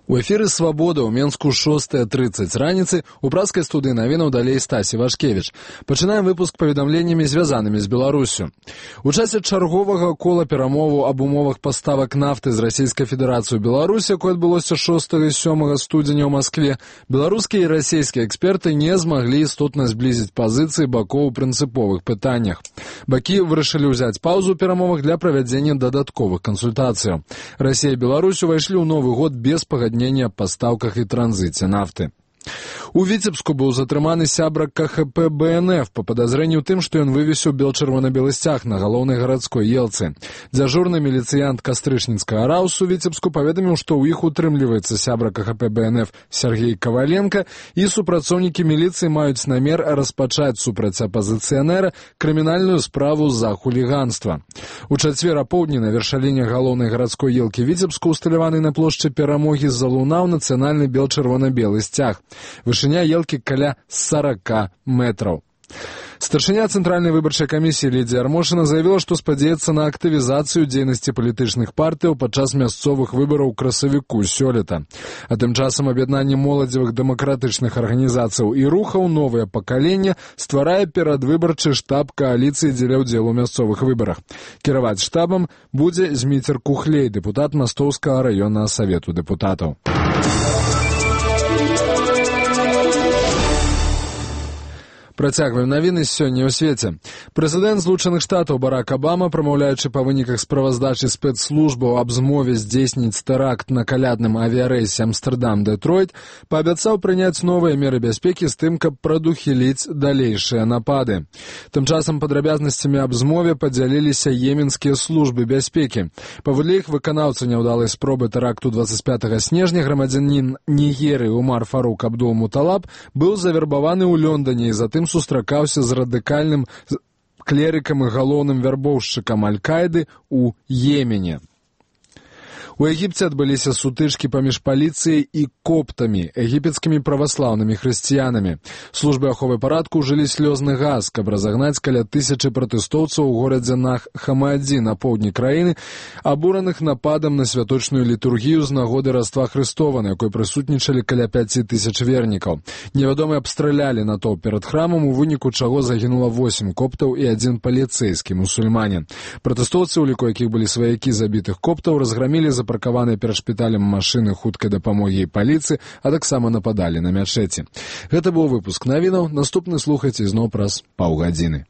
У эфіры «Свабода» ў Менску 6:30 раніцы у пражскай студыі навінаў далей Стасі Вашкевіч. Пачынаем выпуск паведамленнямі, звязанымі з Беларусю. У часе чарговага кола перамоваў аб умовах паставак нафты з Расійскай Федэрацыі ў Беларусь, якое адбылося 6 і 7 студзеня ў Маскве, беларускія і расійскія эксперты не змаглі істотна зблізіць пазіцыі бакоў у прынцыповых пытаннях. Бакі вырашылі ўзяць паўзу ў перамовах для правядзення дадатковых кансультацыяў. Расія і Беларусь увайшлі ў новы год без пагаднення о поставках и транзите нафты. У Віцебску быў затрыманы сябра КХП БНФ па падазрэнні ў тым, што ён вывесіў бел-чырвона-белы сцяг на галоўнай гарадской елцы. Дзяжурны міліцыянт Кастрычніцкага раўсу Віцебску паведаміў, што ў іх утрымліваецца сябра КХП БНФ Сергей Коваленко, і супрацоўнікі міліцыі маюць намер распачаць супраць апазіцыянера крымінальную справу за хуліганства. У чацвер апоўдні на вяршаліне галоўнай гарадской елкі Віцебску, усталяванай на плошчы Перамогі, залунаў нацыянальны бел-чырвона-белы сцяг. Вышыня елкі каля 40 метраў. Старшыня Цэнтральнай выбарчай камісіі Лідзія Армошына заявіла, што спадзяецца на актывізацыю дзейнасці палітычных партыяў падчас мясцовых выбараў у красавіку сёлета. А тым часам аб'яднанне моладзевых дэмакратычных арганізацыяў і рухаў «Новае пакаленне» стварае перадвыбарчы штаб кааліцыі дзеля ўдзелу ў мясцовых выбарах. Кіраваць штабам будзе Зміцер Кухлей, дэпутат Мастоўскага раённага савету дэпутатаў. Працягваем навіны сёння ў свеце. Прэзідэнт Злучаных Штатаў Барак Абама, прамаўляючы па выніках справаздачы спецслужбаў аб змове здзейсніць тэракт на калядным авіярэйсе Амстэрдам-Дэтройт, паабяцаў прыняць новыя меры бяспекі з тым, каб прадухіліць далейшыя напады. Тым часам падрабязнасцямі аб змове падзяліліся йеменскія службы бяспекі. Паводле іх выканаўца няўдалай спробы тэракту 25 снежня грамадзянін Нігерыі Умар Фарук Абдул-Муталаб быў завербаваны ў Лондоне і затым сустракаўся з радыкальным клерыкам і галоўным вярбоўшчыкам Аль-Каіды ў Йемене. У Егіпце адбыліся сутычкі паміж паліцыяй і коптамі, егіпецкімі праваслаўнымі хрысціянамі. Службы аховы парадку ўжылі слёзны газ, каб разагнаць каля 1000 пратэстоўцаў у горадзе Нах-Хамаадзі на поўдні краіны, абураных нападам на святочную літургію з нагоды Раства Хрыстова, на якой прысутнічалі каля 5000 вернікаў. Невядомыя абстралялі натоўп перад храмам, у выніку чаго загінула 8 коптаў і 1 паліцэйскі мусульманін. Пратэстоўцы, у ліку якіх былі сваякі забітых коптаў, разграмілі запаркаваныя перад шпіталем машыны хуткай дапамогі і паліцыі, а таксама нападалі на мячэці. Гэта быў выпуск навінаў. Наступны слухайце зноў праз паўгадзіны.